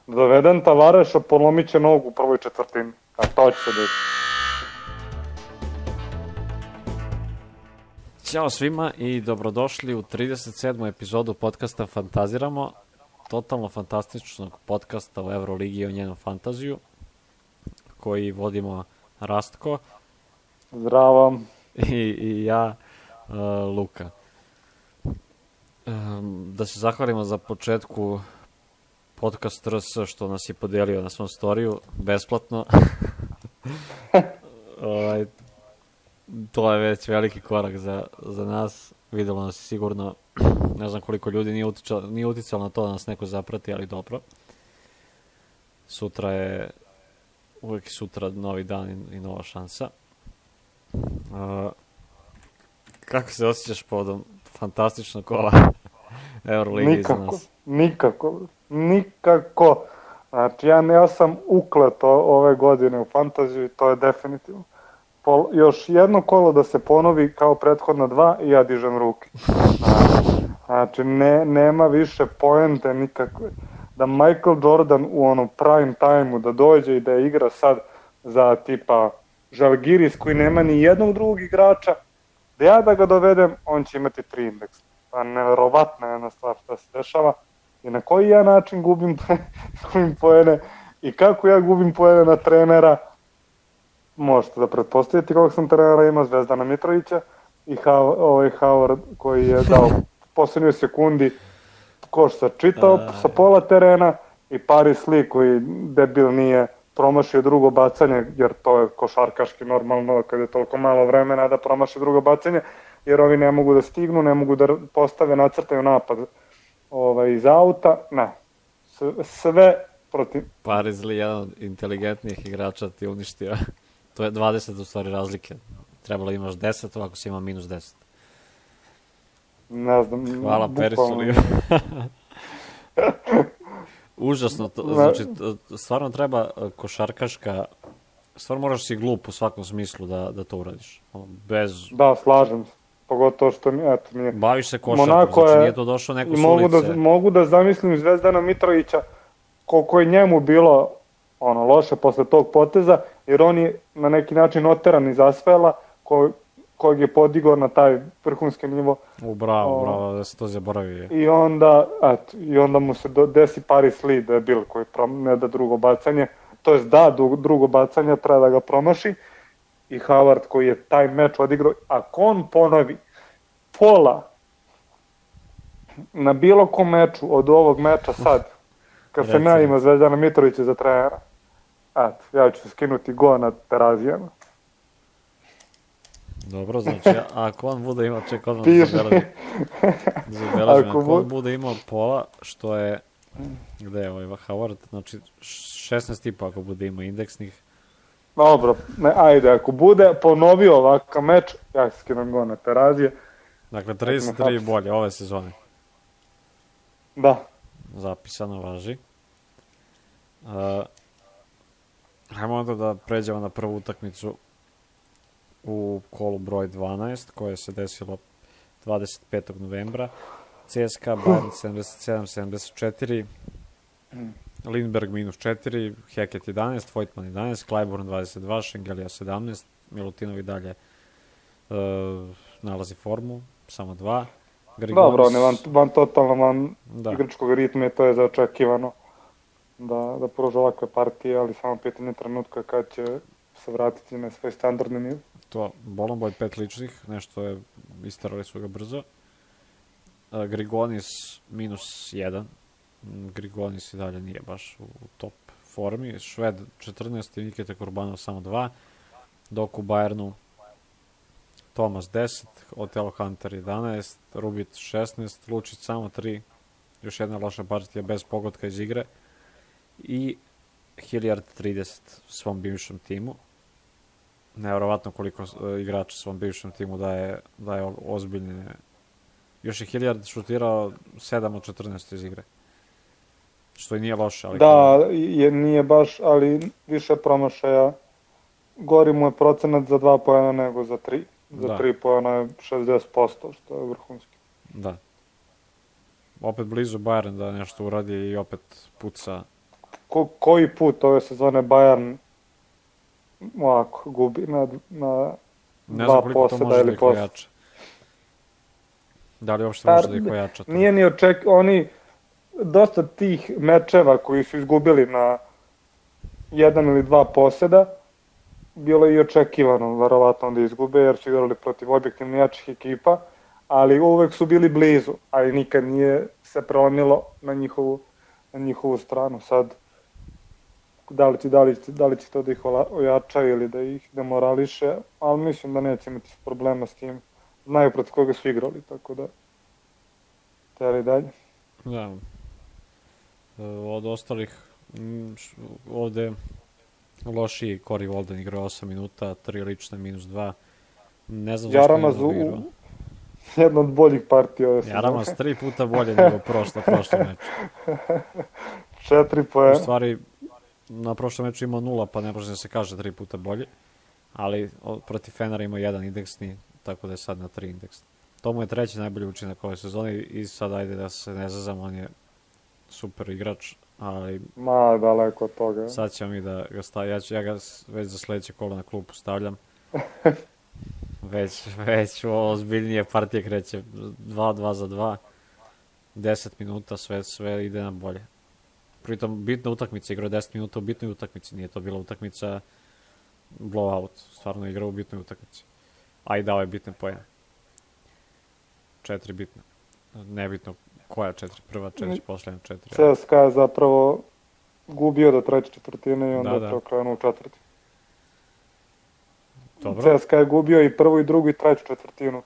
Doveden Tavareša, polomit će nogu u prvoj četvrtini. A to će se desiti. Ćao svima i dobrodošli u 37. epizodu podcasta Fantaziramo, totalno fantastičnog podcasta o Euroligi i o njenom fantaziju, koji vodimo Rastko. Zdravo. I ja, Luka. Da se zahvalimo za početku podcast RS što nas je podelio na svom storiju, besplatno. To je već veliki korak za nas. Videlo nas sigurno, ne znam koliko ljudi nije uticalo na to da nas neko zaprati, ali dobro. Uvijek sutra novi dan i nova šansa. Kako se osjećaš povodom fantastičnog kola Euroligi za nas? Nikako. Znači, ja sam ukleto ove godine u fantaziju i to je definitivno. Još jedno kolo da se ponovi kao prethodna dva i ja dižem ruke. Znači, nema više poente nikakve. Da Michael Jordan u onom prime time-u da dođe i da igra sad za tipa Žalgiris koji nema ni jednog drugog igrača, da ja da ga dovedem, on će imati 3 indeksa. Pa neverovatna jedna stvar što se dešava i na koji ja način gubim poene i kako ja gubim poene na trenera. Možete da pretpostavite kog sam trenera imao, Zvezdana Mitrovića i Howard koji je dao posljednjoj sekundi koš sačitao sa pola terena i Paris Lee koji debil nije promašio drugo bacanje, jer to je košarkaški normalno kada je toliko malo vremena da promaši drugo bacanje, jer ovi ne mogu da stignu, ne mogu da postave, nacrtaju napad iz auta, ne, sve protiv. Paris Lee, jedan od inteligentnijih igrača, ti uništio. To je 20 u stvari razlike. Trebalo imaš 10, ovako si ima minus 10. Ne znam. Hvala Parisu Lee. Užasno, znači, stvarno treba košarkaška, stvarno moraš si glup u svakom smislu da to uradiš. Da, slažem se. Pogotovo što nije. Baviš se košarkom, znači nije to došao neko s ulice. Mogu da zamislim Zvezdana Mitrovića koliko je njemu bilo loše posle tog poteza, jer on je na neki način oteran iz Asvela kojeg je podigao na taj vrhunski nivo. Bravo, da se to zaboravi. I onda mu se desi Paris Lee debil koji ne da drugo bacanje, to jest da drugo bacanje, treba da ga promaši, i Howard koji je taj meč odigrao. Ako on ponovi pola na bilo kom meču od ovog meča sad, kad sam ja imao Zvezdana Mitrovića za trenera, ja ću skinuti go na Terazijama. Dobro, znači, ako on bude imao, ček, odmah zabeležim, ako on bude imao pola, što je, gde je ovaj Howard, znači 16,5 ako bude imao indeksnih. Dobro, ajde, ako bude ponovio ovakav meč, ja ću skinem go na Terazije. Dakle, 33 bolje ove sezone. Da. Zapisano, važi. Hajmo onda da pređemo na prvu utakmicu u kolu broj 12, koje se desilo 25. novembra. CSKA Bayern 77-74, Lindbergh minus 4, Hackett 11, Voigtman 11, Clyburn 22, Šengelija 17, Milutinov i dalje nalazi formu, samo 2. Dobro, on je van igračkog ritma i to je zaočekivano da pruža ovakve partije, ali samo pitanje trenutka kad će se vratiti na svoj standardni nivo. To, Bolomboy 5 ličnih, nešto je, istarali su ga brzo. Grigonis minus 1, Grigonis i dalje nije baš u top formi. Šved 14 i Nikita Kurbanov samo 2, dok u Bayernu Thomas 10, Otelo Hunter 11, Rubit 16, Lučić samo 3, još jedna loša partija bez pogotka iz igre, i Hilliard 30 svom bivšem timu. Nevjerovatno koliko igrača svom bivšem timu daje ozbiljne. Još je Hilliard šutirao 7 od 14 iz igre. Što i nije loše. Ali nije baš, ali više promašaja. Gori mu je procenat za 2 poena nego za 3. Za 3 poena je 60%, što je vrhunski. Da. Opet blizu Bayern da nešto uradi i opet puca koji put ove sezone Bayern ovako gubi na Ne znam dva koliko to poseda može da ili ih poseda. ojača. Da li uopšte može da ih ojača to? Nije ni oni dosta tih mečeva koji su izgubili na jedan ili dva poseda, bilo je i očekivano verovatno da izgube, jer su igrali protiv objektivno jačih ekipa, ali uvek su bili blizu, ali nikad nije se prelomilo na njihovu stranu. Sad, da li će to da ih ojača ili da ih demorališe, ali mislim da neće imati problema s tim. Znaju protiv koga su igrali, tako da teli dalje. Da. Od ostalih, ovde lošiji Corey Walden igrao 8 minuta, 3 lične, -2. Ne znam zašto Jaramaz nije igrao. Jedna od boljih partija ove sezone. Jaramaz 3 puta bolje nego prošlo meču. 4 poena. U stvari, na prošlom meču imao 0, pa ne može da se kaže 3 puta bolje. Ali protiv Fenera imao 1 indeksni, tako da je sad na 3 indeksni. To mu je treći najbolji učinak ove sezone i sad ajde da se ne zazam, on je super igrač, ali daleko od toga. sad ćemo mi da ga stavim, ja ga već za sledeće kolo na klupu stavljam. već ozbiljnije partije kreće, 2 za 2, 10 minuta, sve ide na bolje. Pritom bitna utakmica, igrao 10 minuta u bitnoj utakmici, nije to bila utakmica blowout, stvarno igrao u bitnoj utakmici. A i dao je bitne poene. 4 bitne. Nebitno koja 4, prva 4, poslednja 4. CSKA je zapravo gubio do treće četvrtine i onda je preokrenuo u četvrti. Dobro. CSKA je gubio i prvu i drugu i treću četvrtinu.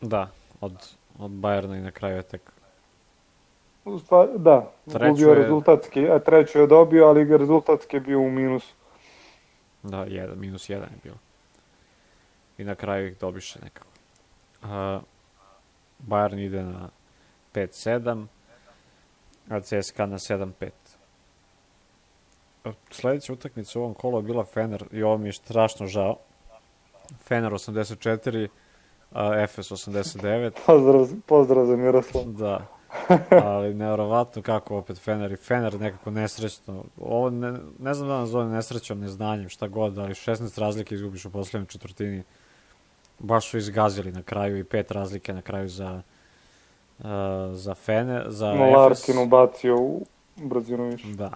Da, od Bayerna i na kraju je tek... Da, gubio rezultatski, a treću je dobio, ali rezultatski je bio u minusu. Da, -1 je bilo. I na kraju ih dobiše nekako. Bayern ide na 5-7, a CSKA na 7-5. Sledeća utakmica u ovom kolu je bila Fener, i ovo mi je strašno žao. Fener 84, Efes 89. Pozdrav za Miroslav. Da, ali nevjerovatno kako opet Fener nekako nesrećno. Ovo ne znam da nas zove nesrećom, neznanjem, šta god, ali 16 razlike izgubiš u poslednjoj četvrtini. Baš su izgazili na kraju i 5 razlike na kraju za Fener, za Efes. Larkin ubacio u brzinu više. Da.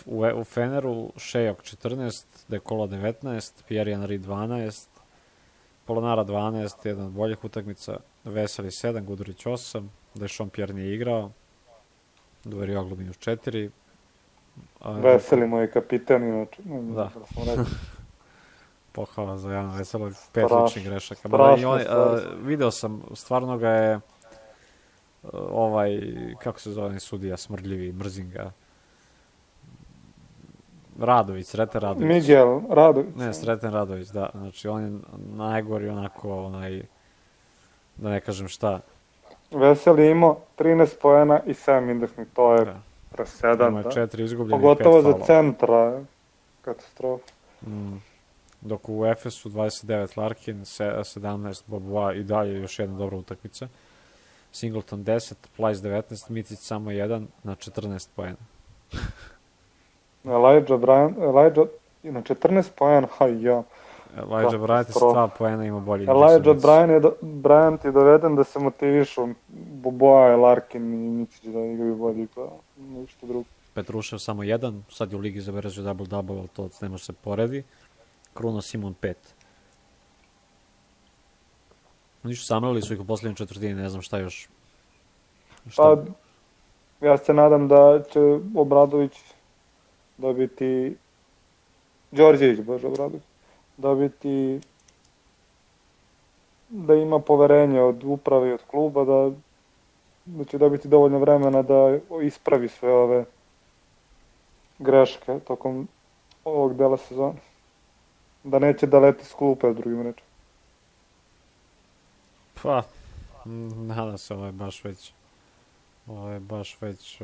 U Feneru Šejok 14, Dekola 19, Pierre Henry 12, Polonara 12, jedan od boljih utakmica, Veseli 7, Gudurić 8, Dešon Pierre nije igrao, Duverioglu -4. Veseli moj kapitan, inače. Da. Pohvala za Jana Veselo, 5 ličnih grešaka. Video sam, stvarno ga je kako se zove sudija, smrdljivi, mrzim ga. Radović, Sreten Radović. Miguel Radović. Ne, Sreten Radović, da. Znači, on je najgori onako, da ne kažem šta. Veseli imao 13 poena i 7 indeksnih, to je presedan. Ima 4 izgubljeni, 5 pogotovo faula. za centra, katastrofa. Dok u Efesu 29 Larkin, 17 Bobois i dalje još jedna dobra utakmica. Singleton 10, Plyce 19, Micić samo 1 na 14 poena. Elijah na 14 poena, Elijah Bryant sa 2 poena ima bolji. Elijah Bryant je doveden da se motivišu Bobois, Larkin i Micić da igraju bolji, pa ništa drugo. Petrušev samo 1, sad je u ligi zabeležio double-double, ali to ne može se poredi. Kruno Simon 5. Ništa, samlali su ih u poslednjoj četvrtini, ne znam šta još. Pa, ja se nadam da će Obradović dobiti, Đorđević, Obradović, dobiti, da ima poverenje od uprave i od kluba, da će dobiti dovoljno vremena da ispravi sve ove greške tokom ovog dela sezona. Da neće da leti s klupe, s drugim rečima. Pa, nadam se, ovo je baš već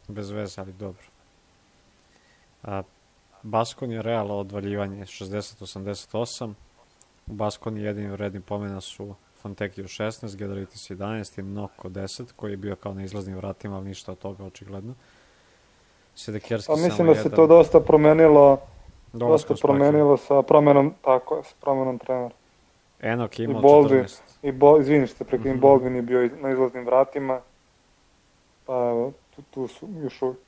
bez veze, ali dobro. Baskoni je Real odvaljivanje 60-88. U Baskoni jedini vredni pomena su Fontekio 16, Gedaritis 11 i Noko 10, koji je bio kao na izlaznim vratima, ali ništa od toga očigledno. Sedekerski samo 1. Mislim da se to dosta promenilo, sa promenom, tako je, sa promenom trenera. Enok je imao 14. Izvini što preklim, Baldwin je bio na izlaznim vratima, pa evo, tu su još uvijek.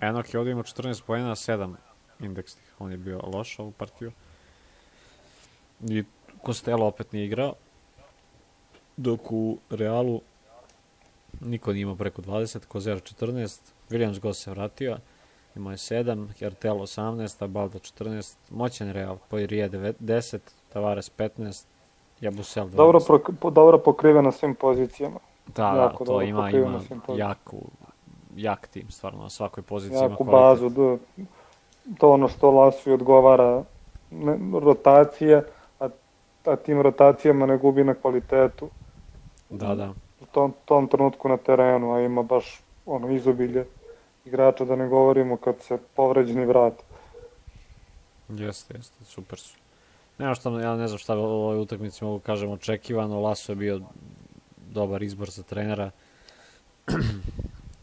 Enok je ovdje imao 14 poena, 7 indeksnih, on je bio loš ovu partiju. I Costello opet nije igrao, dok u Realu niko nije imao preko 20, Kozer 14, Williams Goss se vratio, imao je 7, Hertel 18, Abaldo 14, moćan Real, Poirier 10, Tavares 15, Jabusel 12. Dobro pokrive na svim pozicijama. Da, to ima jak tim, stvarno, na svakoj poziciji jaku bazu, to ono što Lasu odgovara, rotacije, a tim rotacijama ne gubi na kvalitetu. Da. U tom trenutku na terenu, a ima baš izobilje igrača, da ne govorimo kad se povređeni vrati. Jeste, super su. Ja ne znam šta u ovoj utakmici mogu kažem očekivano, Laso je bio dobar izbor za trenera.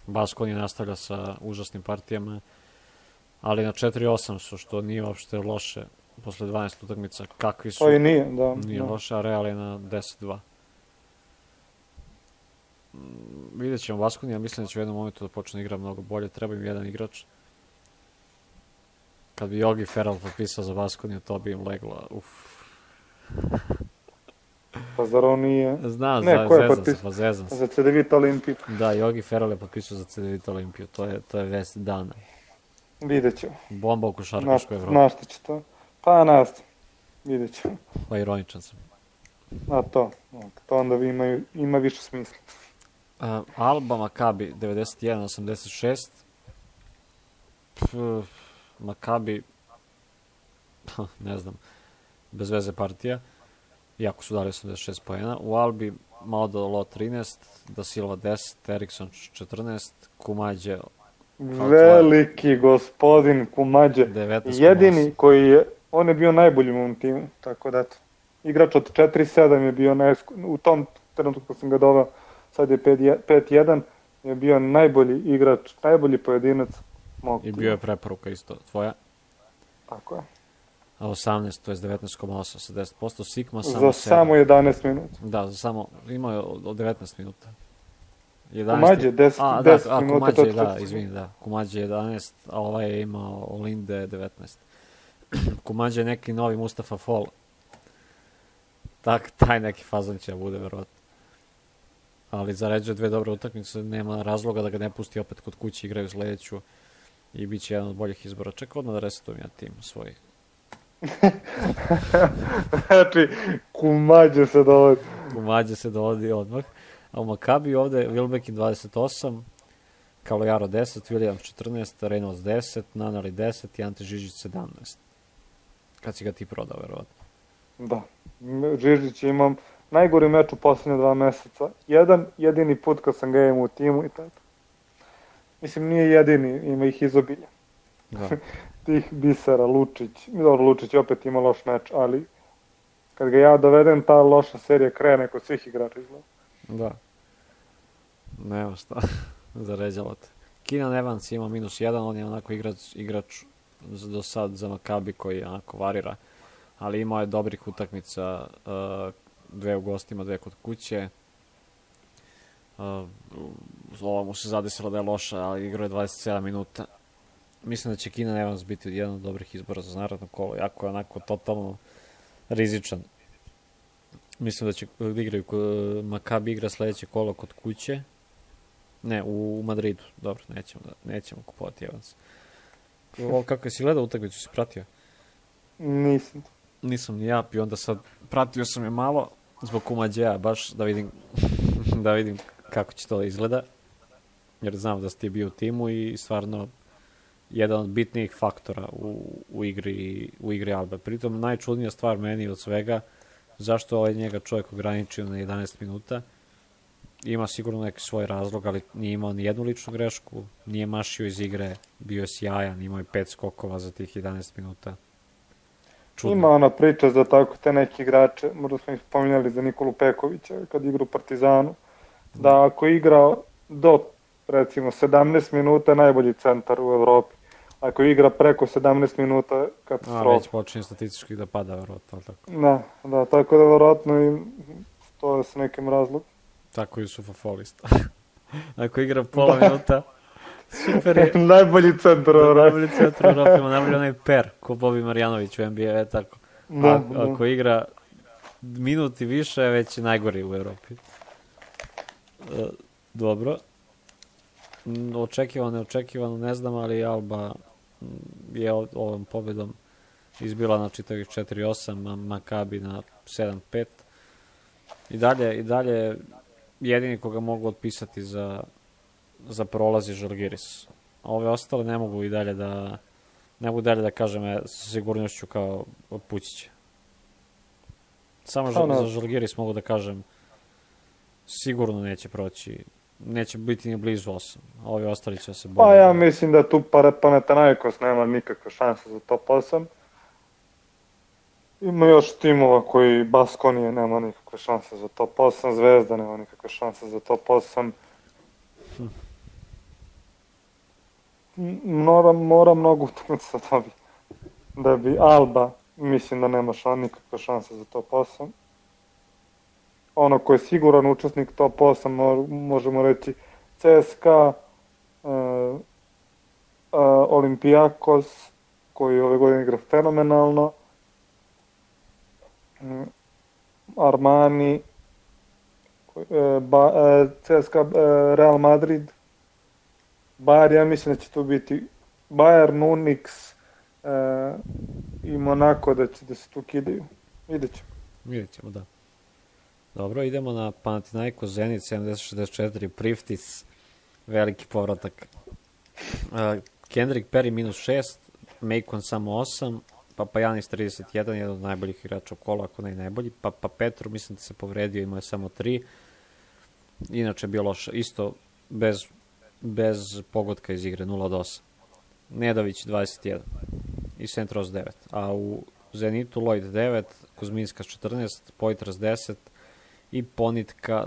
Baskoni nastavlja sa užasnim partijama, ali na 4-8 su, što nije uopšte loše posle 12 utakmica. Kakvi su? To i nije, da. Nije loše, a Real je na 10-2. Vidjet ćemo Baskoni, ja mislim da će u jednom momentu da počne igra mnogo bolje, treba im jedan igrač. Kad bi Jogi Ferrell potpisao za Baskoniju, to bi im leglo, Pa zar on nije... Znam, zezam se. Za CDVita Olimpiju. Da, Jogi Ferrell je potpisao za CDVita Olimpiju, to je vest dana. Vidjet ćemo. Bomba u košarkaškoj Evropi. Znaš šta će to? Pa nastavim. Vidjet ćemo. Pa ironičan sam. A to onda ima više smisla. Alba Maccabi 91-86. Maccabi, ne znam, bez veze partija, iako su dali 86 poena. U Albi Maudolo 13, Da Silva 10, Eriksson 14, Kumađe... Veliki gospodin Kumađe. Jedini koji je, on je bio najbolji u ovom timu, tako da eto. Igrač od 4-7 je bio u tom trenutku kad sam ga doveo, sad je 5-1, je bio najbolji igrač, najbolji pojedinac mog tima. I bio je preporuka isto tvoja. Tako je. A 18, to je 19,8 sa 10%, Sigma samo 7. Za samo 11 minuta. Da, imao je od 19 minuta. Kumađe 10 minuta. Kumađe 11, a ovaj je imao Olinde 19. Kumađe je neki novi Mustafa Fall. Taj neki fazon će da bude, verovatno. Ali zaređuje 2 dobre utakmice, nema razloga da ga ne pusti opet kod kuće, igraju sledeću i bit će jedan od boljih izbora. Čekaj, odmah da resetujem ja tim svoj. Znači, Kumađe se dovodi odmah. A u Maccabi ovde Wilbekin 28, Kalojaro 10, Williams 14, Reynolds 10, Nanali 10 i Ante Žižić 17. Kad si ga ti prodao, verovatno. Da, Žižić imam najgori meč u posljednje 2 meseca. Jedini put kad sam ga imao u timu i tako. Mislim, nije jedini, ima ih izobilja. Da. Tih Bisera, Lučić. Dobro, Lučić opet ima loš meč, ali kad ga ja dovedem, ta loša serija krene kod svih igrača izgleda. Da. Nema šta. Zaređalo te. Keenan Evans ima -1, on je onako igrač do sad za Maccabi koji onako varira, ali imao je dobrih utakmica, 2 u gostima, 2 kod kuće. Ova mu se zadesila da je loša, ali igrao je 27 minuta. Mislim da će Keenan Evans biti jedan od dobrih izbora za naredno kolo, jako je onako totalno rizičan. Mislim da će igraju, Maccabi igra sledeće kolo kod kuće. Ne, u Madridu. Dobro, nećemo kupovati Evans. Kako si gledao utakmicu, si pratio? Nisam ni ja, i onda sad pratio sam je malo zbog Kumađeja, baš da vidim kako će to izgleda. Jer znam da si ti bio u timu i stvarno jedan od bitnijih faktora u igri Albe. Pritom najčudnija stvar meni od svega, zašto ovaj njega čovjek ograničio na 11 minuta. Ima sigurno neki svoj razlog, ali nije imao ni jednu ličnu grešku, nije mašio iz igre, bio je sjajan, imao je 5 skokova za tih 11 minuta. čudno. Ima ona priča za tako te neki igrače, možda smo ih spominjali za Nikolu Pekovića kad igra u Partizanu, da ako igra do recimo 17 minuta najbolji centar u Evropi. Ako igra preko 17 minuta katastrofa. Već počinje statistički da pada, verovatno, tako. Da, tako da verovatno i to je s nekim razlogom. Tako i Sufa Folista. Ako igra pola minuta, super je. Najbolji centar u Evropi. Najbolji centar u Evropi, ima najbolji onaj per, ko Bobi Marjanović u NBA, tako. Ako igra minut i više, već je najgori u Evropi. Dobro. Neočekivano, ne znam, ali Alba je ovom pobedom izbila na čitavih 4-8, Makabi na 7-5. I dalje jedini koga mogu otpisati za prolaz je Žalgiris. A ove ostale ne mogu dalje da kažem sa sigurnošću kao otpućiće. Samo za Žalgiris mogu da kažem sigurno neće proći. Neće biti ni blizu 8. A ovi ostali će se boriti. Pa ja mislim da tu Panathinaikos nema nikakve šanse za top 8. Ima još timova koji Baskonije nema nikakve šanse za top 8, Zvezda nema nikakve šanse za top 8. Mora mnogo utakmica da bi Alba, mislim da nema nikakve šanse za top 8. Ono ko je siguran učesnik top 8, možemo reći CSKA, Olympiakos, koji ove godine igra fenomenalno, Armani, CSKA, Real Madrid, Bayern, ja mislim da će tu biti Bayern, Unix i Monaco da se tu kidaju. Vidjet ćemo, da. Dobro, idemo na Panathinaikos Zenit 70-64, Priftis, veliki povratak. Kendrick Perry -6, Macon samo 8, Papajanis 31, jedan od najboljih igrača u kolu, ako ne i najbolji. Petru, mislim da se povredio, imao je samo 3. Inače bilo isto bez pogotka iz igre, 0 od 8. Nedović 21 i Sentros 9. A u Zenitu Lloyd 9, Kuzminska 14, Poitras 10 i Ponitka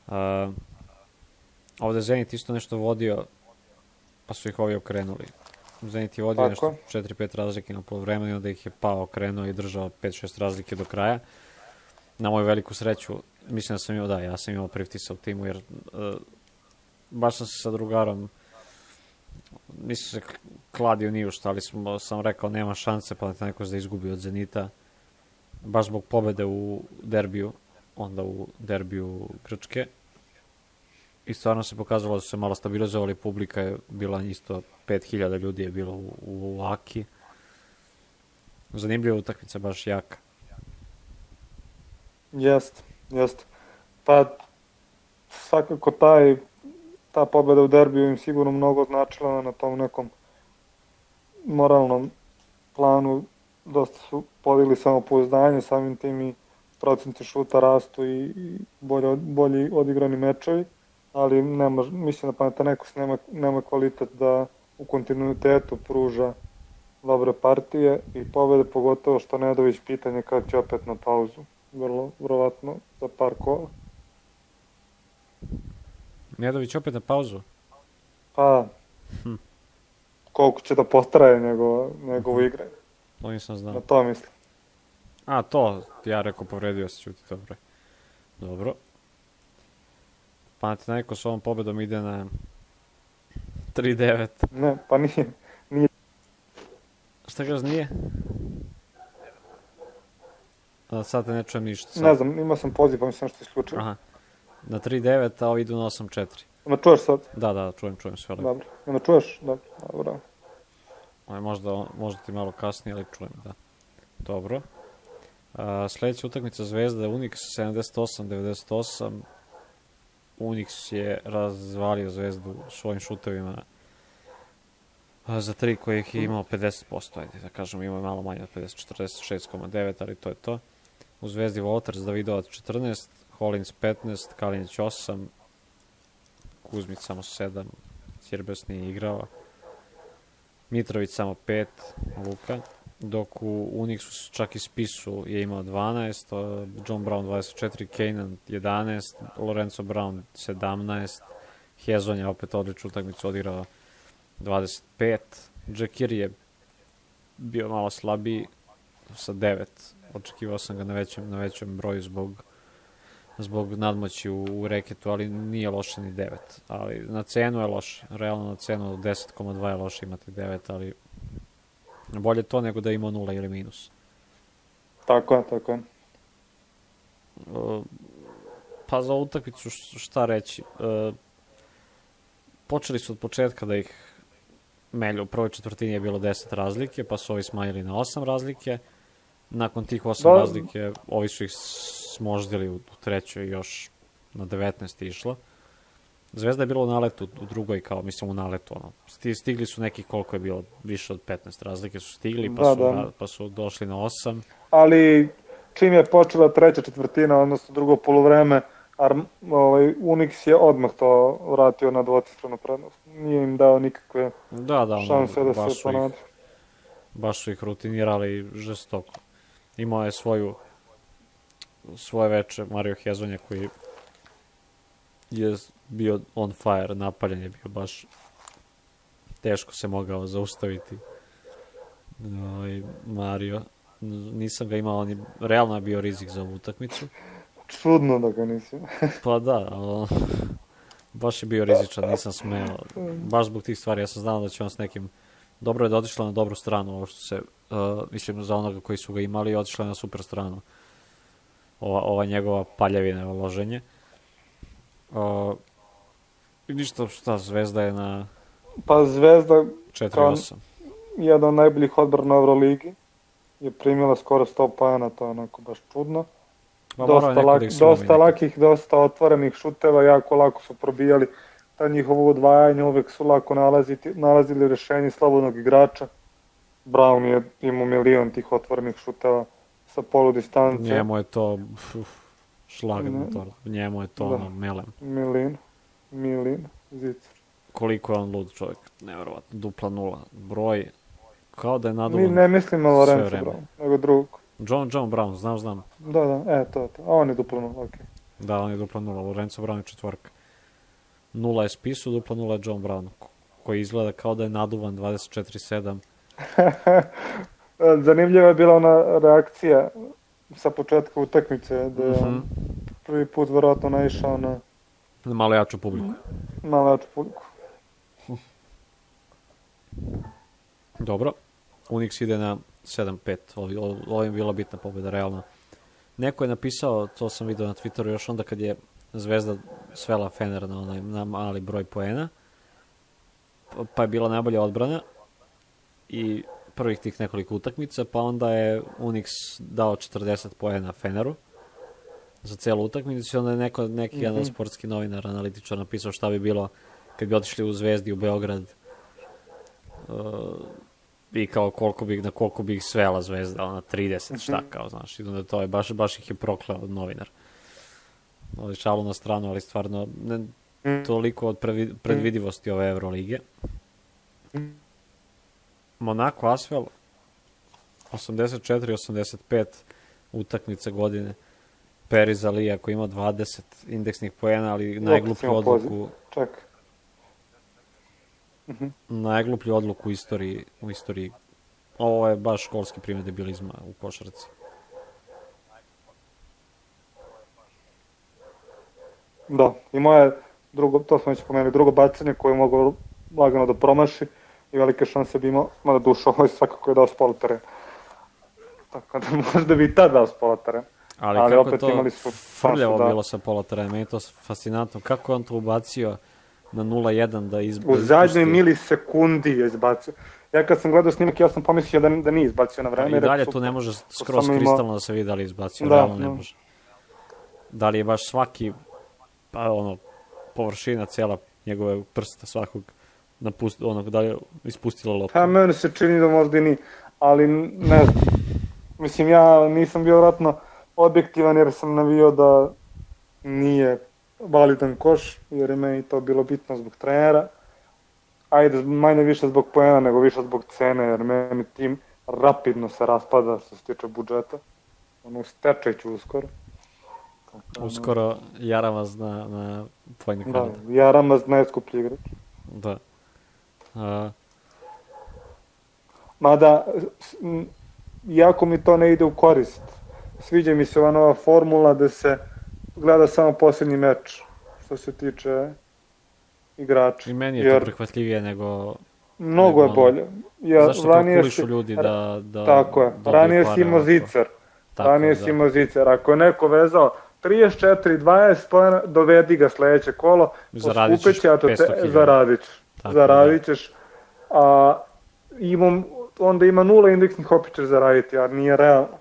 12. Ovde Zenit isto nešto vodio, pa su ih ovi okrenuli. Zenit je vodio nešto 4-5 razlike na polovremenu i onda ih je pao, okrenuo i držao 5-6 razlike do kraja. Na moju veliku sreću, mislim da sam ja sam imao Priftisa u timu, jer baš sam se sa drugarom, nisam se kladio ni u šta, ali sam rekao nema šanse Panathinaikos da izgubi od Zenita, baš zbog pobede u derbiju, onda u derbiju Grčke. I stvarno se pokazalo da su se malo stabilizovali, publika je bila isto, 5000 ljudi je bilo u Aki. Zanimljiva utakmica, baš jaka. Jest. Pa svakako ta pobeda u derbiju im sigurno mnogo značila na tom nekom moralnom planu. Dosta su podigli samopouzdanje, samim tim i procenti šuta rastu i bolji odigrani mečevi, ali mislim da Panathinaikos nema kvalitet da u kontinuitetu pruža dobre partije i pobede, pogotovo što Nedović pitanje kad će opet na pauzu, vrlo vjerovatno za par kola. Nedović opet na pauzu? Pa, koliko će da potraje njegovo igranje. To nisam znao. Na to mislim. A, to, ja rekao, povredio se, čuti, dobro. Panathinaikos ovom pobedom ide na 3-9. Ne, pa nije. Šta kažeš, nije? Sad te ne čujem ništa. Ne znam, imao sam poziv, pa mislim što isključio. Aha, na 3-9, a ovi idu na 8-4. Me čuješ sad? Da, čujem sve. Dobro, me čuješ? Dobro. Možda ti malo kasnije, ali čujem, da. Dobro. Sljedeća utakmica Zvezda, Unix 78-98. Unix je razvalio Zvezdu svojim šutevima za 3 kojih je imao 50%, ajde da kažem, imao je malo manje od 50, 46,9, ali to je to. U Zvezdi Walters, Davidovac 14, Holins 15, Kalinić 8, Kuzmić samo 7, Ćirbes nije igrao, Mitrović samo 5, Luka, dok u Unixu čak i Spisu je imao 12, John Brown 24, Kanan 11, Lorenzo Brown 17, Hezon je opet odličnu utakmicu odigrao 25, Jacquiri je bio malo slabiji sa 9, očekivao sam ga na većem broju zbog nadmoći u reketu, ali nije loše ni 9, ali na cenu je loše, realno na cenu od 10,2 je loše imati 9, ali bolje to nego da ima 0 ili minus. Tako je. Pa za utakmicu šta reći, počeli su od početka da ih melju, u prvoj četvrtini je bilo 10 razlike, pa su ovi smanjili na 8 razlike, nakon tih 8 razlike ovi su ih smoždili u trećoj još na 19 išlo. Zvezda je bila u naletu u drugoj, kao mislim u naletu, stigli su neki koliko je bilo, više od 15 razlike su stigli, pa su došli na 8. Ali čim je počela treća četvrtina, odnosno drugo poluvreme, Unix je odmah to vratio na dvocifrenu prednost. Nije im dao nikakve šanse da se ponadi. Baš su ih rutinirali žestoko. Imao je svoje veče Mario Hezonja koji je bio on fire, napaljen je bio baš, teško se mogao zaustaviti Mario. Nisam ga imao, on je realno bio rizik za ovu utakmicu. Čudno da ga nisi. Pa da, baš je bio rizičan, nisam smeo, baš zbog tih stvari, ja sam znao da će on s nekim, dobro je da otišla na dobru stranu, ovo što se, mislim za onoga koji su ga imali, otišla je na super stranu, ova njegova paljevina, loženje. I ništa, Zvezda je na... Pa Zvezda 4-8. Jedan od najboljih odbrana u Euroligi je primila skoro 100 poena, to je onako baš čudno. Dosta lakih, dosta otvorenih šuteva, jako lako su probijali. Ta njihovo udvajanje, uvek su lako nalazili rešenje slobodnog igrača. Brown je imao milion tih otvorenih šuteva sa polu distance. Njemu je to šlag motor, njemu je to melem. Milin, zicer. Koliko je on lud čovjek, nevjerovatno, dupla nula, broj, kao da je naduvan. Ne mislim na Lorenzo Brown, nego drugog. John Brown, znam. Da, to. A on je dupla nula, okej. Da, on je dupla nula, Lorenzo Brown je četvorka. Nula je Spisu, dupla nula je John Brown, koji izgleda kao da je naduvan 24/7. Zanimljiva je bila ona reakcija sa početka utakmice, da je prvi put verovatno naišao na malo jaču publiku. Dobro, Unix ide na 7-5, ovo je bila bitna pobjeda, realno. Neko je napisao, to sam vidio na Twitteru još onda kad je Zvezda svela Fener na mali broj poena, pa je bila najbolja odbrana i prvih tih nekoliko utakmica, pa onda je Unix dao 40 poena Feneru za celu utakmicu i onda je neki jedan sportski novinar, analitičar napisao šta bi bilo kad bi otišli u Zvezdi u Beograd i kao koliko bi ih svela Zvezda, na 30, šta kao, znaš, i onda to je, baš ih je prokleo novinar. Šalu na stranu, ali stvarno toliko od predvidivosti ove Eurolige. Monaco Asvel 84-85 utakmice godine. Periz Alija koji ima 20 indeksnih poena, ali najgluplju odluku najgluplju odluku u istoriji. Ovo je baš školski primjer debilizma u košarci. Da, imao je drugo, to smo već pomenuli, drugo bacanje koje je mogao lagano da promaši i velike šanse bi imao, mada duša ovo je svakako je dao s pola terena. Tako da možda bi i tad dao s pola terena. Ali kako opet je to frljavo bilo sa pola terena, meni je to fascinantno. Kako je on to ubacio na 0-1 da izbacio? U zadnjoj milisekundi je izbacio. Ja kad sam gledao snimak, ja sam pomislio da nije izbacio na vreme. I dalje tu ne može skroz kristalno da se vidi da li je izbacio, realno ne može. Da li je baš svaki, pa površina cijela njegove prsta svakog, da li je ispustila loptu. Pa meni se čini da možda i nije, ali ne znam. Mislim, ja nisam bio vratno objektivan jer sam navio da nije validan koš, jer je meni to bilo bitno zbog trenera. Ajde, manje više zbog poena, nego više zbog cene, jer meni rapidno se raspada što se tiče budžeta. Ono, stečaj ću uskoro. Uskoro Jaramaz na point guarda. Da, Jaramaz najskuplji igrač. Da. Mada, jako mi to ne ide u korist. Sviđa mi se ova nova formula da se gleda samo posljednji meč što se tiče igrača. I meni je to prihvatljivije nego... Mnogo je bolje. Zašto kalkulišu ljudi da tako je. Ranije si imao zicer. Ako je neko vezao 34-20 pojena, dovedi ga sledeće kolo, poskupeće, a to zaradit ćeš. A onda ima 0 indeksnih opet ćeš zaraditi, a nije realno.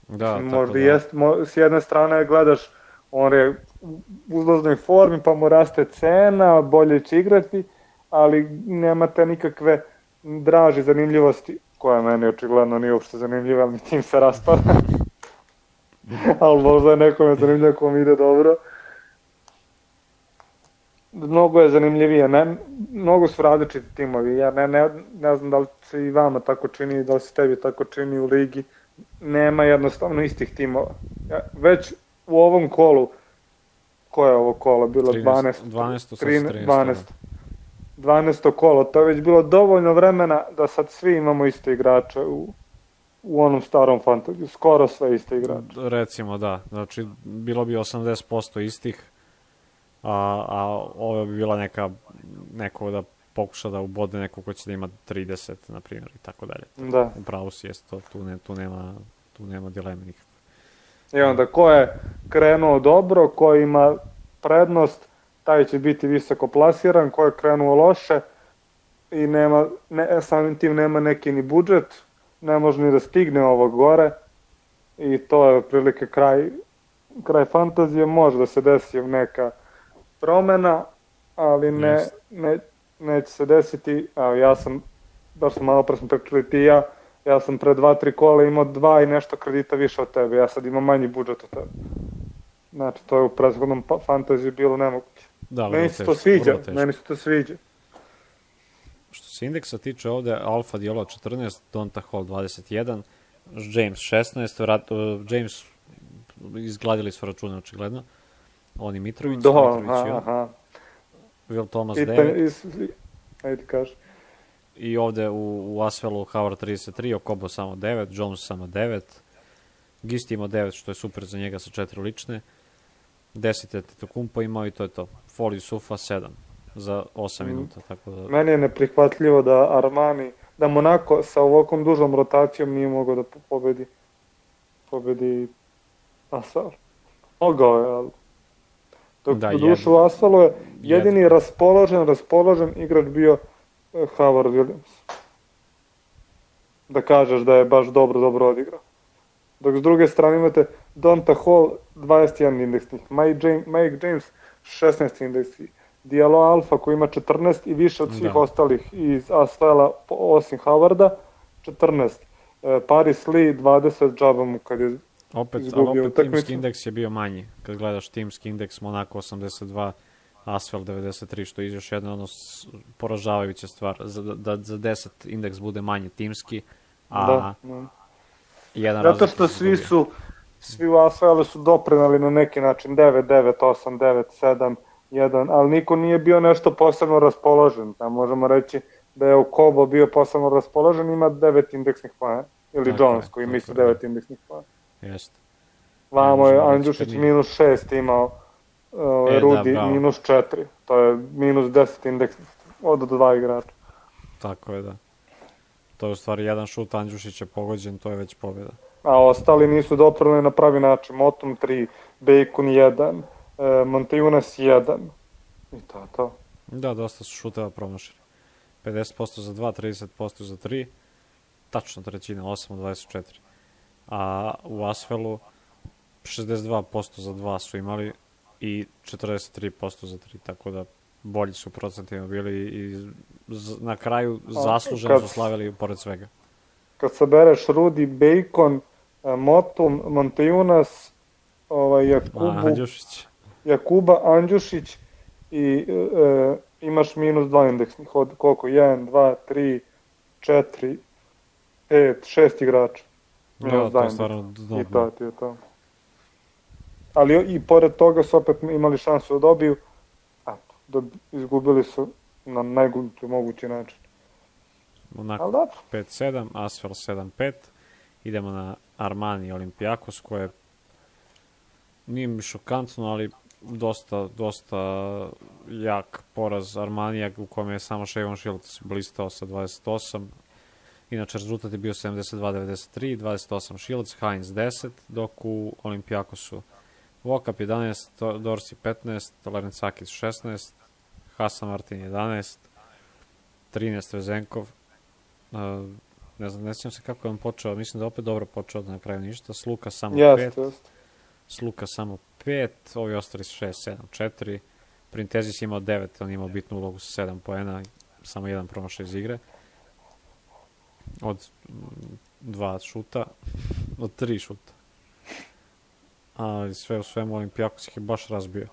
Da, možda jest, s jedne strane gledaš, on je u uzlaznoj formi, pa mu raste cena, bolje će igrati, ali nemate nikakve draže zanimljivosti, koja meni očigledno nije uopšte zanimljiva, ali mi tim se raspada. Ali možda je nekome zanimljivo ko mi ide dobro. Mnogo je zanimljivije, mnogo su različiti timovi, ja ne znam da li se i vama tako čini, da li se tebi tako čini u ligi, nema jednostavno istih timova. Već u ovom kolu, koje je ovo kolo, bilo 12. kolo, to je već bilo dovoljno vremena da sad svi imamo iste igrače u onom starom fantaziju, skoro sve iste igrače. Recimo da, znači bilo bi 80% istih, a ovo bi bila neko da pokuša da ubode neko ko će da ima 30, na primjer, i tako dalje. Da. Upravo si jest to, tu nema dileme nikakve. I onda ko je krenuo dobro, ko ima prednost, taj će biti visoko plasiran, ko je krenuo loše i samim tim nema neki ni budžet, ne može ni da stigne ovo gore i to je otprilike kraj fantazije, može da se desi neka promena, ali neće se desiti, ja sam, baš sam malo pre smo pričali ti i ja sam pre 2-3 kola imao 2 i nešto kredita više od tebe, ja sad imam manji budžet od tebe. Znači, to je u prethodnom fantaziju bilo nemoguće. Meni se to sviđa. Što se indeksa tiče ovde, Alfa Diallo 14, Donta Hall 21, James 16, James izgladili su račune očigledno, oni Mitrović, Will Thomas 9, ajde kaži. I ovde u Asvelu Howard 33, Okobo samo 9, Jones samo 9, Gisti imao 9, što je super za njega sa 4 lične, 10 je Tetokumpo imao i to je to. Foli Sufa 7 za 8 minuta. Tako da... Meni je neprihvatljivo da Armani, da Monako sa ovakvom dužom rotacijom nije mogao da pobedi Asvel. Mogao je, ali... Dok u dušu u Asvelu je jedini raspoložen igrač bio Howard Williams. Da kažeš da je baš dobro odigrao. Dok s druge strane imate Donta Hall 21 indeksnih, Mike James 16 indeksnih, Diallo Alfa koji ima 14 i više od svih ostalih iz Asvela osim Howarda, 14. Paris Lee 20 džaba mu kad je izgubio utakmicu. Timski indeks je bio manji. Kad gledaš timski indeks, Monaco 82, Asvel 93, što je još jedna poražavajuća stvar. Da za 10 indeks bude manje timski, a zato što svi u Asvelu su doprinali na neki način 9, 9, 8, 9, 7, 1, ali niko nije bio nešto posebno raspoložen. Možemo reći da je Okobo bio posebno raspoložen, ima 9 indeksnih poena. Ili Jones koji ima 9 indeksnih poena. Jeste. Vamo je Andjušić minus 6 imao, Rudi minus 4. To je minus 10 indeksnih od 2 igrača. Tako je, da. To je u stvari jedan šut Andjušića pogođen, to je već pobjeda. A ostali nisu doprinali na pravi način. Motum 3, Bacon 1, Montejunas 1. I to je to. Da, dosta su šuteva promašili. 50% za 2, 30% za 3. Tačno trećina, 8 od 24. A u Asvelu 62% za 2 su imali i 43% za 3. Tako da bolji su procentima bili i na kraju zasluženo su slavili pored svega. Kad sabereš Rudi, Bacon, Motum, Montejunas, Jakuba, Andjušić i imaš minus 2 indeksnih od koliko? 1, 2, 3, 4, 5-6 igrača. Da, to je stvarno dno. I to. Ali i pored toga su opet imali šansu da dobiju, da izgubili su na najgluplji mogući način. Onako, 5-7, Asvel 7-5. Idemo na Armani Olympiakos, koje nije mi šokantno, ali dosta jak poraz Armanija, u kome je samo Shavon Shields blistao sa 28. Inače, rezultat je bio 72-93, 28 Shields, Hines 10, dok u Olympiakosu Vokap 11, Dorsey 15, Larencakis 16, Hasan Martin 11, 13 Vezenkov, ne znam, ne sjećam se kako je on počeo, mislim da je opet dobro počeo, da na kraju ništa, Sluka samo 5, Sluka samo 5, ovi ostali su 6, 7, 4, Printezis imao 9, on imao bitnu ulogu sa 7 poena, samo jedan promašaj iz igre, od 2 šuta, od 3 šuta. Ali sve u svemu Olympiakos ih je baš razbio.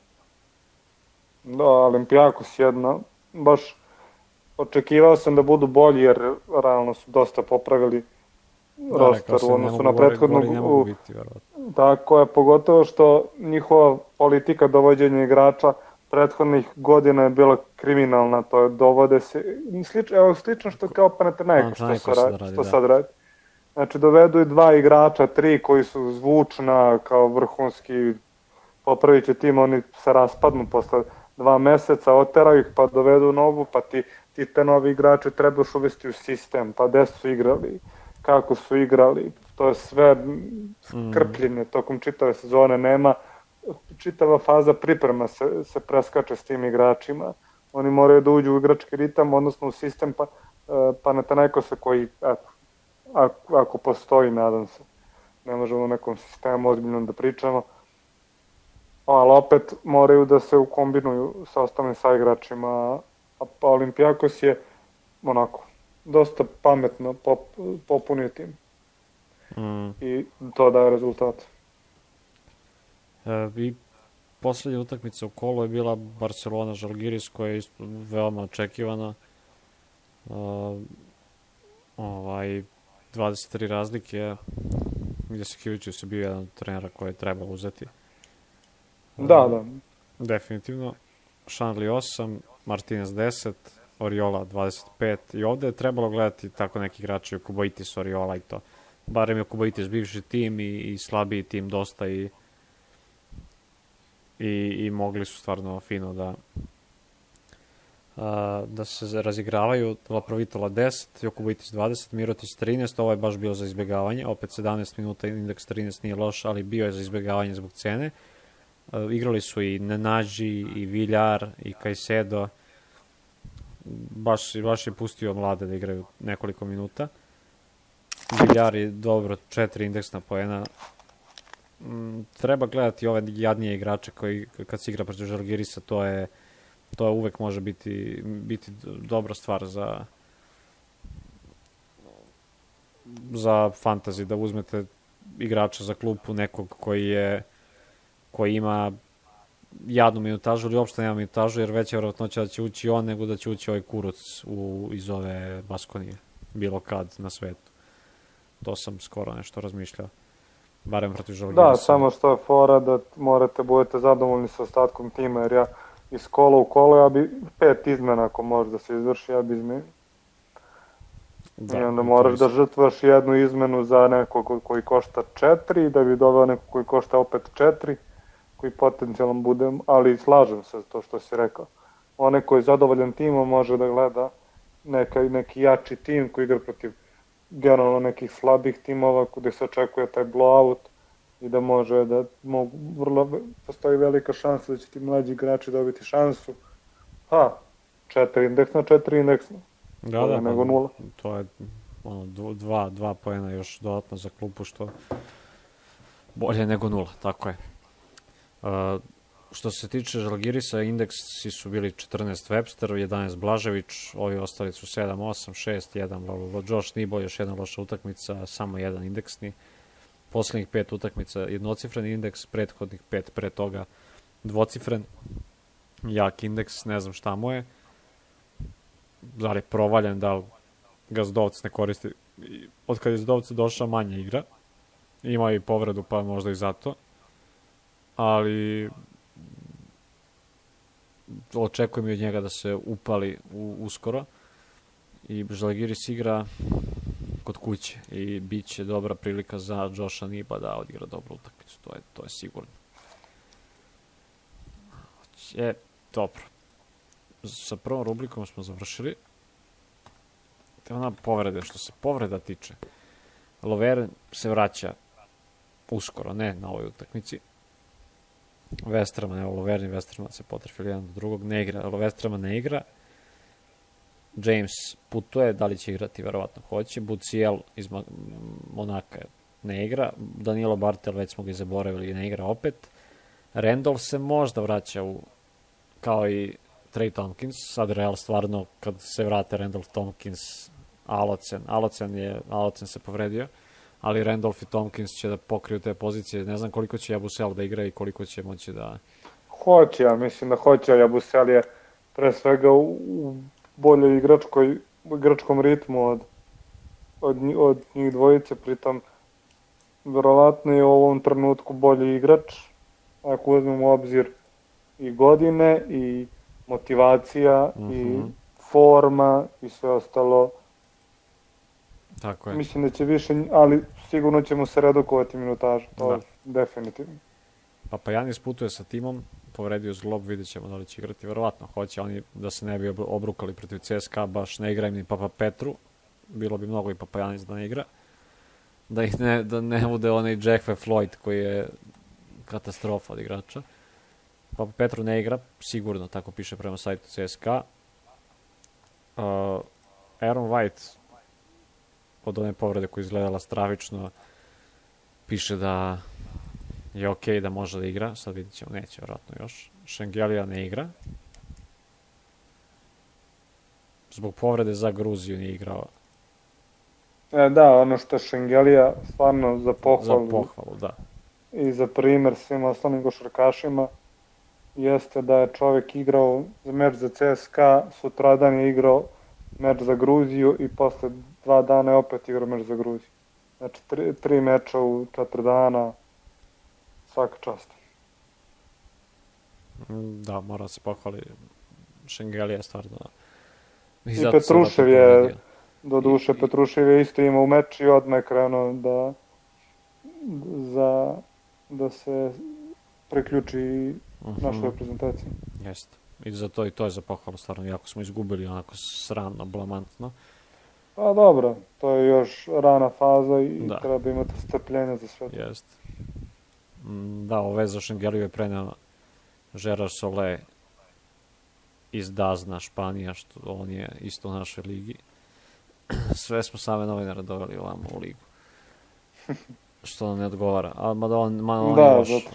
Da, Olympiakos jedna, baš očekivao sam da budu bolji jer realno su dosta popravili roster u odnosu na prethodnu. Tako je, pogotovo što njihova politika dovođenja igrača prethodnih godina je bila kriminalna, to je dovode se, slično što kao Panathinaikos što sad radi. Znači dovedu i 2 igrača, 3 koji su zvučna kao vrhunski, popravit će tim, oni se raspadnu posle 2 meseca, oteraju ih pa dovedu novu, pa ti te novi igrači trebaš uvesti u sistem, pa gde su igrali, kako su igrali, to je sve krpljenje tokom čitave sezone, nema, čitava faza priprema se preskače s tim igračima, oni moraju da uđu u igrački ritam, odnosno u sistem Panathinaikosa koji, ako postoji, nadam se, ne možemo u nekom sistemu ozbiljno da pričamo, ali opet moraju da se ukombinuju sa ostalim saigračima, a Olympiakos je onako dosta pametno popunio tim i to daje rezultat. I poslednja utakmica u kolu je bila Barcelona-Žalgiris, koja je isto veoma očekivana. 23 razlike, gdje se Kivičius je bio jedan od trenera koji je trebalo uzeti. Da. Definitivno. Šanli 8, Martinez 10, Oriola 25 i ovde je trebalo gledati tako neki igrači, Kubaitis, Oriola i to. Barem je Kubaitis bivši tim i slabiji tim dosta i mogli su stvarno fino da se razigravaju. Laprovitola 10, Jokubaitis 20, Mirotić 13, ovo je baš bio za izbjegavanje, opet 17 minuta, indeks 13 nije loš, ali bio je za izbjegavanje zbog cene. Igrali su i Nenađi, i Viljar, i Caicedo, baš je pustio mlade da igraju nekoliko minuta. Viljar je dobro, 4 indeksna poena. Treba gledati ove jadnije igrače koji kad se igra protiv Žalgirisa, to uvek može biti dobra stvar za fantasy, da uzmete igrača za klupu nekog koji ima jadnu minutažu ili uopšte nema minutažu, jer veća vjerojatnoća da će ući on nego da će ući ovaj Kuruc iz ove Baskonije, bilo kad na svetu. To sam skoro nešto razmišljao. Barem protiv Žalgirisa. Da, samo što je fora da budete zadovoljni sa ostatkom tima, jer ja iz kola u kolo, ja bi 5 izmena ako može da se izvrši, ja bi izmenio. I onda moraš da žrtvaš jednu izmenu za nekog koji košta 4, da bi doveo nekog koji košta opet 4, koji potencijalno bude, ali slažem se to što si rekao. Onaj koji je zadovoljan timom može da gleda neki jači tim koji igra protiv generalno nekih slabih timova gde se očekuje taj blowout i da može da postoji velika šansa da će ti mlađi igrači dobiti šansu. 4 indeksna, 4 indeksna. Da, nego 0. To je 2 poena još dodatno za klupu, što bolje nego 0, tako je. Što se tiče Žalgirisa, indeksi su bili 14 Webster, 11 Blažević, ovi ostali su 7, 8, 6, 1, Josh Nibo, još jedna loša utakmica, samo jedan indeksni. Poslednjih 5 utakmica jednocifren indeks, prethodnih 5 pre toga dvocifren, jak indeks, ne znam šta mu je. Da li je provaljen, da li Gazdovc ne koristi od kad je iz Dovca došao manje igra. Ima i povredu, pa možda i zato. Ali očekujem i od njega da se upali uskoro. I Žalgiris igra kod kuće i bit će dobra prilika za Josha Niba da odigra dobru utakmicu. To je sigurno. Dobro. Sa prvom rubrikom smo završili. Te ona povrede, što se povreda tiče. Loveren se vraća uskoro, ne na ovoj utakmici. Westerman, evo Loveren i Westerman se potrefili jedan do drugog, ne igra, Westerman ne igra. James putuje, da li će igrati, verovatno hoće. Buciel iz Monaka ne igra. Danilo Bartel, već smo ga zaboravili, ne igra opet. Randolph se možda vraća kao i Trey Tompkins. Sad Real stvarno, kad se vrate Randolph, Tompkins, Alocen se povredio, ali Randolph i Tompkins će da pokriju te pozicije. Ne znam koliko će Jabusel da igra i koliko će moći da... Hoće, ja mislim da hoće. Jabusel je pre svega u boljoj igračkom ritmu od njih dvojice, pritom verovatno je u ovom trenutku bolji igrač, ako uzmemo u obzir i godine i motivacija i forma i sve ostalo. Tako je. Mislim da će više, ali sigurno će mu se redukovati minutaža, to je definitivno. Papajanis putuje sa timom, povredio zglob, vidjet ćemo da li će igrati, verovatno hoće, oni da se ne bi obrukali protiv CSKA, baš ne igra im ni Papa Petru, bilo bi mnogo i Papajanis da ne igra, da ne bude onaj Jeffe Floyd koji je katastrofa od igrača. Papa Petru ne igra, sigurno, tako piše prema sajtu CSKA. Aaron White od one povrede koja izgledala stravično piše da je okej da može da igra, sad vidit ćemo, neće vjerojatno još. Šengelija ne igra. Zbog povrede za Gruziju nije igrao. Da, ono što je Šengelija stvarno za pohvalu. Za pohvalu, da. I za primer svim ostalim košarkašima jeste da je čovjek igrao za meč za CSKA, sutradan je igrao meč za Gruziju i posle 2 dana je opet igrao meč za Gruziju. Znači 3 meča u 4 dana, svaka čast. Da, mora se pohvali. Šengelija je stvarno... I Petrušev je, doduše Petrušev je isto imao meč i odmah je krenuo da se priključi našoj reprezentaciji. Jeste. I to je za pohvalu stvarno, jako smo izgubili onako sramno, blamantno. Pa dobro, to je još rana faza i treba imati strpljenja za sve to. Jeste. Da, ove za Šengeliju je preneo Gerard Solé iz Dazna, Španija, što on je isto u našoj ligi. Sve smo same novinare doveli ovamo u ligu. Što nam ne odgovara.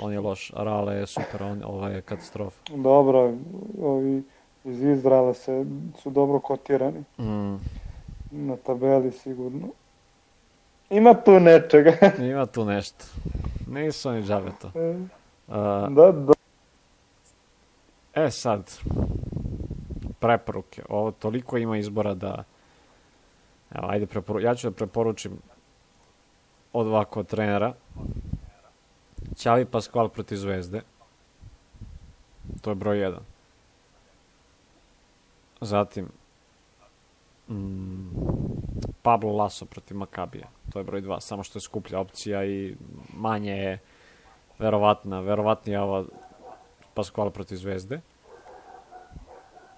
On je loš. Rale je super, ovo je katastrofa. Dobro, ovi iz Izraela su dobro kotirani. Na tabeli sigurno. Ima tu nečega. Ima tu nešto. Nisu oni džabe to. Da. Sad, preporuke. Ovo toliko ima izbora da... Evo, ajde, ja ću da preporučim od ovako trenera. Xavi Pascual protiv Zvezde. To je broj 1. Zatim Pablo Laso protiv Makabija. To je broj 2. Samo što je skuplja opcija i manje je verovatnije ova Pascual protiv Zvezde.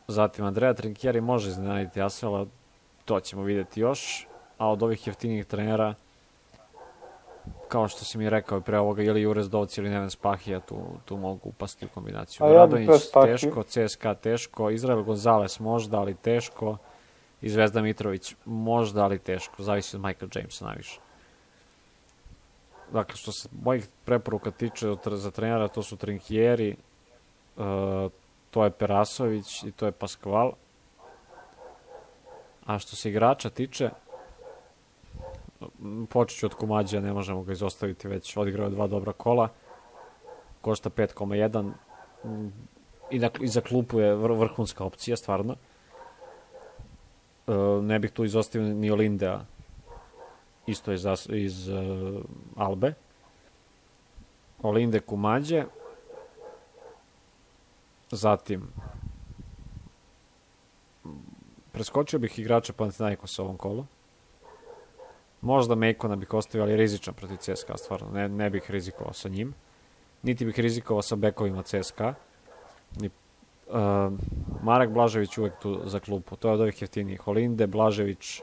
Zatim Andrea Trinchieri može iznenaditi Asvela. To ćemo vidjeti još. A od ovih jeftinijih trenera, kao što si mi rekao pre ovoga, ili Jurez Dovci ili Neven Spahija, tu mogu upasti u kombinaciju. Radonjić teško, CSKA teško, Izrael Gonzalez možda, ali teško, i Zvezda Mitrović možda, ali teško. Zavisi od Michael Jamesa najviše. Dakle, što se mojih preporuka tiče za trenera, to su Trinchieri, to je Perasović i to je Pascual. A što se igrača tiče, počet ću od Kumađija, ne možemo ga izostaviti, već odigrao je 2 dobra kola, košta 5,1 i za klupu je vrhunska opcija, stvarno. Ne bih tu izostavio ni Olindea isto iz Albe. Olinde Kumađe. Zatim preskočio bih igrača Panathinaikosa ovom kolu. Možda Mekona bih ostavio, ali je rizičan protiv CSKA, stvarno. Ne bih rizikovao sa njim. Niti bih rizikovao sa bekovima CSKA. Marek Blažević uvek tu za klupu. To je od ovih jeftinijih. Olinde Blažević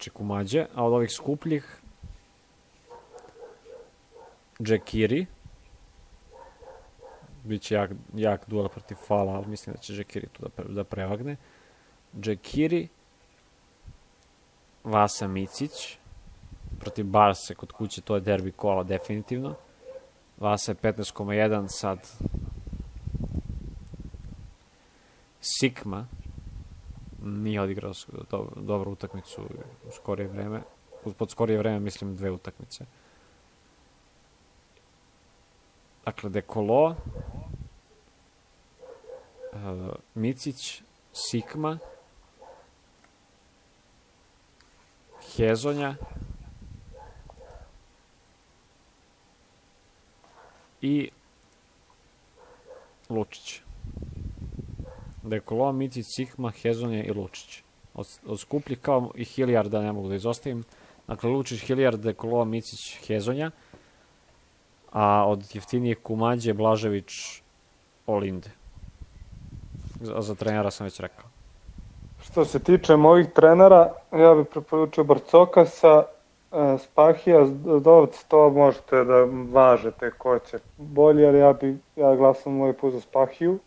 i Kumađe, a od ovih skupljih Džekiri. Biće jak duel protiv Fala, ali mislim da će Džekiri tu da prevagne. Džekiri, Vasa Micić, protiv Barse kod kuće, to je derbi kola definitivno. Vasa je 15,1, sad Sikma nije odigrao dobru utakmicu u skorije vreme. Pod skorije vreme mislim 2 utakmice. Dakle, Dekolo, Micić, Sikma, Hezonja i Lučić. Dekolo, Micić, Sikma, Hezonja i Lučić. Od skupljih kao i Hiljarda ne mogu da izostavim. Dakle, Lučić, Hiljard, Dekolo, Micić, Hezonja. A od jeftinijih Kumađe, Blažević, Olinde. Za trenera sam već rekao. Što se tiče mojih trenera, ja bih preporučio Barcokasa, Spahija, Dovc, to možete da važete ko će bolje, ali ja glasam ovaj put za Spahiju.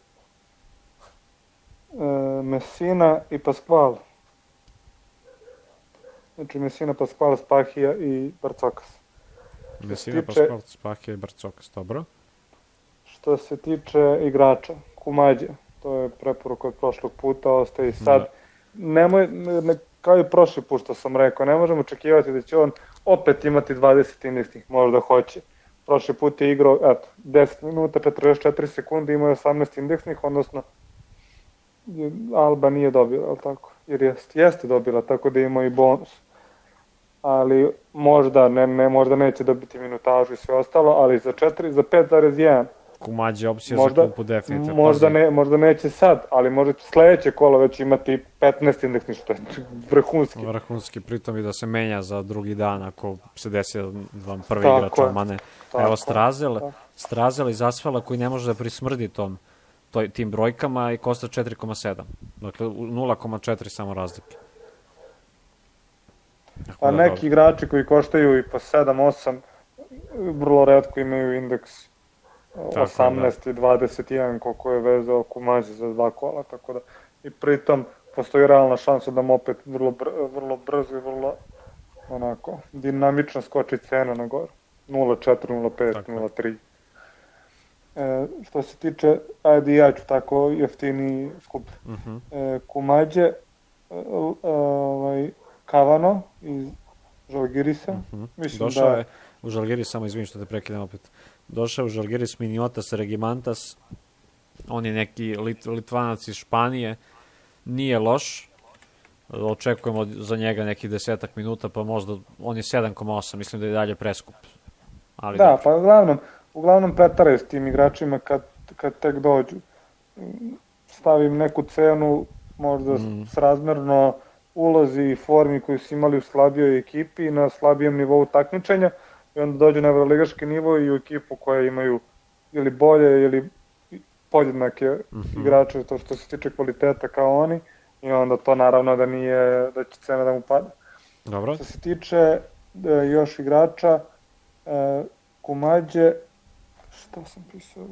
Messina i Pasquale. Znači Messina, Pasquale, Spahija i Barcokas. Messina, Pasquale, Spahija i Barcokas, dobro. Što se tiče igrača, Kumađe, to je preporuka od prošlog puta, ostaje i sad. Nemoj, kao i prošli put što sam rekao, ne možemo očekivati da će on opet imati 20 indeksnih, možda hoće. Prošli put je igrao, 10 minuta, 44 sekunde, imao je 18 indeksnih, odnosno Alba nije dobila, ali tako? Jer jeste dobila, tako da ima i bonus. Ali možda neće dobiti minutažu i sve ostalo, ali za 5,1 Kumađe opcija za klupu definitivno. Možda neće sad, ali možda će sledeće kolo već imati 15 indeksnih, što je vrhunski. Vrhunski, pritom i da se menja za drugi dan ako se desi da vam prvi igrač omane. Evo Strazel iz Asfala koji ne može da prismrdi tim brojkama i košta 4,7. Dakle, 0,4 samo razlike. A neki igrači koji koštaju i po 7-8, vrlo retko imaju indeks 18 i 21, koliko je vezao Kumađe za 2 kola, tako da i pritom postoji realna šansa da mu opet vrlo brzo i vrlo onako dinamično skoči cena na gore. 0,4, 0,5, 0,3. Što se tiče, ajde ja ću tako jeftini skup. Kumađe, Kavano iz Žalgirisa. Došao je u Žalgiris, samo izvinim što te prekidam opet. Došao u Žalgiris Miniotas Regimantas. On je neki Litvanac iz Španije. Nije loš. Očekujemo za njega nekih 10 minuta, pa možda on je 7,8. Mislim da je dalje preskup. Ali da, pa uglavnom pretaraju s tim igračima kad tek dođu. Stavim neku cenu, možda srazmerno ulozi i formi koju su imali u slabijoj ekipi na slabijem nivou takmičenja i onda dođu na evroligaški nivo i u ekipu koja imaju ili bolje ili podjednake igrače to što se tiče kvaliteta kao oni i onda to naravno da će cena da mu pada. Dobro. Što se tiče još igrača, Kumađe, šta sam pisao?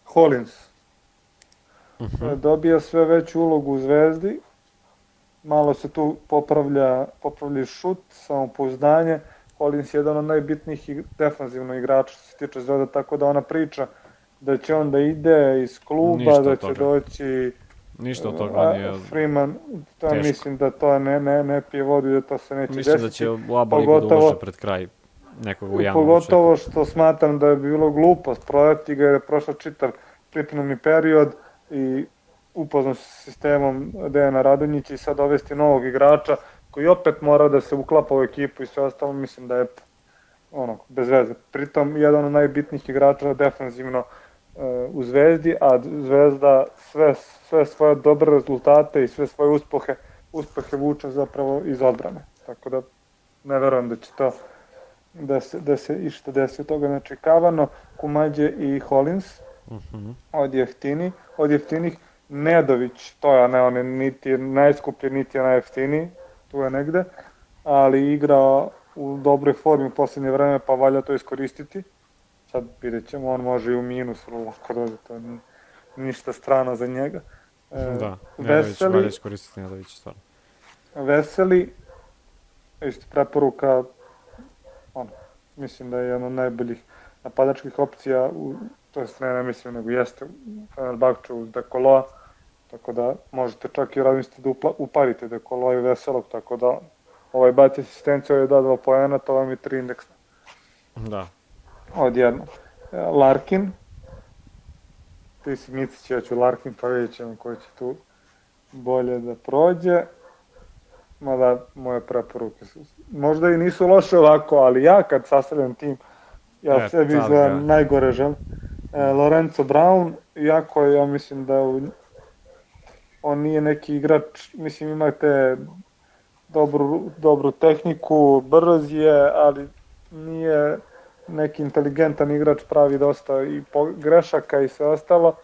Hollins. Dobija sve veću ulogu u Zvezdi, malo se tu popravlja šut, samopouzdanje. Hollins je jedan od najbitnijih defanzivno igrača što se tiče Zvezda, tako da ona priča da će on da ide iz kluba, da će doći ništa od toga nije Freeman, to mislim da to ne pije vodu i da to se neće desiti. Mislim da će u ABA ligu da ulože pred kraj nekog u januaru. Pogotovo što smatram da je bilo glupost prodati ga jer je prošao čitav pripremni period i upoznao s sistemom Dejana Radonjića i sad dovesti novog igrača koji opet mora da se uklapa u ekipu i sve ostalo, mislim da je bez veze. Pritom, jedan od najbitnijih igrača defanzivno u Zvezdi, a Zvezda sve svoje dobre rezultate i sve svoje uspehe vuče zapravo iz odbrane. Tako da ne verujem da će to da se išta desi od toga neočekivano. Kumađe i Hollins od jeftinih. Nedović, to je, ne, on je niti je najskuplji, niti je najjeftiniji, tu je negde, ali igra u dobroj formi u poslednje vreme, pa valja to iskoristiti. Sad vidjet ćemo, on može i u minus, ako dođe, to je ništa strano za njega. Da, Nedović valja iskoristiti Nedović, stvarno. Veseli, isto preporuka, mislim da je jedna od najboljih napadačkih opcija, to jest ne mislim, nego jeste u Fenerbahču uz Dekoloa, tako da možete čak i razmisliti da uparite Dekoloa i Veselog, tako da baci asistenciju, je da 2 poena, to vam je 3 indeksna. Da. Odjedno. Larkin, ti si Micić, ja ću Larkin, pa vidjet ćemo ko će tu bolje da prođe. Mada moje preporuke su, možda i nisu loše ovako, ali ja kad sastavljam tim, ja sebi izgledam najgore želim. Lorenzo Brown, iako ja mislim da on nije neki igrač, mislim ima te dobru tehniku, brz je, ali nije neki inteligentan igrač, pravi dosta i grešaka i sve ostalo,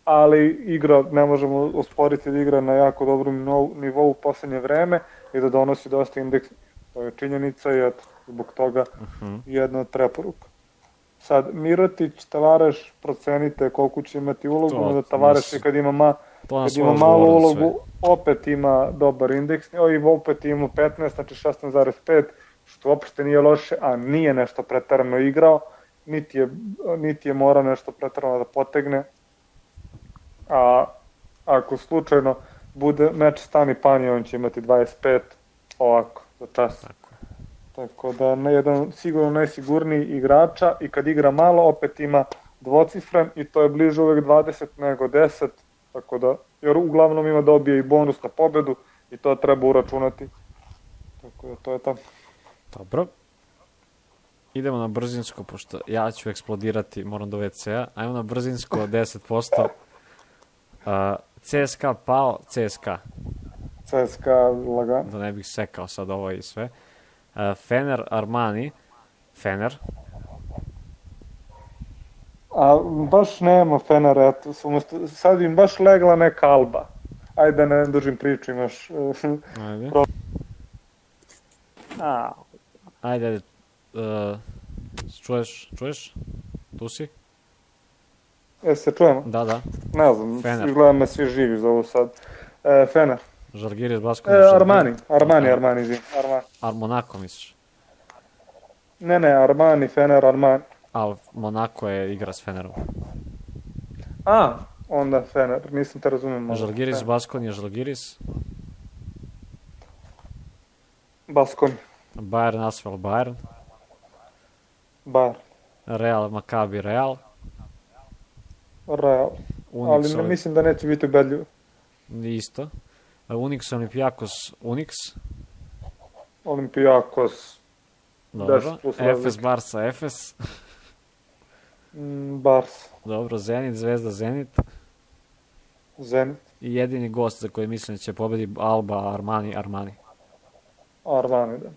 ali igra, ne možemo osporiti da igra na jako dobrom nivou u poslednje vreme i da donosi dosta indeks, to je činjenica i eto, zbog toga jedna od preporuka. Sad, Mirotić, Tavares, procenite koliko će imati ulogu, da Tavares kad ima malu ulogu, opet ima dobar indeks, i opet ima 15, znači 16,5, što uopšte nije loše, a nije nešto pretarano igrao, niti je morao nešto pretarano da potegne, a ako slučajno bude meč Stani Panje, on će imati 25, ovako, za čas. Tako da jedan sigurno najsigurniji igrača i kad igra malo opet ima dvocifren i to je bliže uvek 20 nego 10, tako da, jer uglavnom ima dobije i bonus na pobedu i to treba uračunati. Tako da to je to. Dobro. Idemo na brzinsko, pošto ja ću eksplodirati, moram do WC-a. Ajmo na brzinsko 10%. CSKA pao, CSKA. CSKA lagano. Da ne bih sekao sad ovo i sve. Fener, Armani. Fener. A baš nema Fenera, eto, sad im baš legla neka Alba. Ajde da ne dužim priču, imaš... Ajde. Ajde. Čuješ? Tu si? Se čujemo? Da. Ne znam, izgleda me svi živi za ovo sad. Fener. Žalgiris, Basko. Armani, Monako misliš? Ne, Armani, Fener, Armani. Ali Monako je igra s Fenerom. Onda Fener, nisam te razumio. Žalgiris, Baskonija, Žalgiris. Baskoni. Bayern, Asvel, Bayern. Bayern. Real, Maccabi, Real. Real. Ali ne mislim da neće biti ubedljivo. Isto. Unix, Olimpijakos, Unix. Olimpijakos. Dobro. Efes, Barsa, Efes. Barsa. Dobro, Zenit, Zvezda, Zenit. Zenit. I jedini gost za koji mislim da će pobedi Alba, Armani. Armani, da.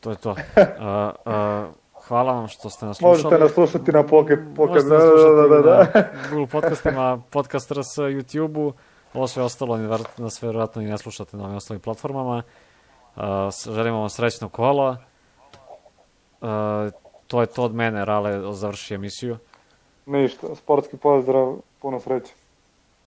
To je to. Hvala vam što ste nas slušali. Možete nas slušati na Pocket. Možete nas slušati na Google podcastima, Podcast RS, YouTube-u. Ovo sve ostalo nas vjerojatno i ne slušate na ovim ostalim platformama. Želimo vam srećno kolo. To je to od mene, Rale završi emisiju. Ništa, sportski pozdrav, puno sreće.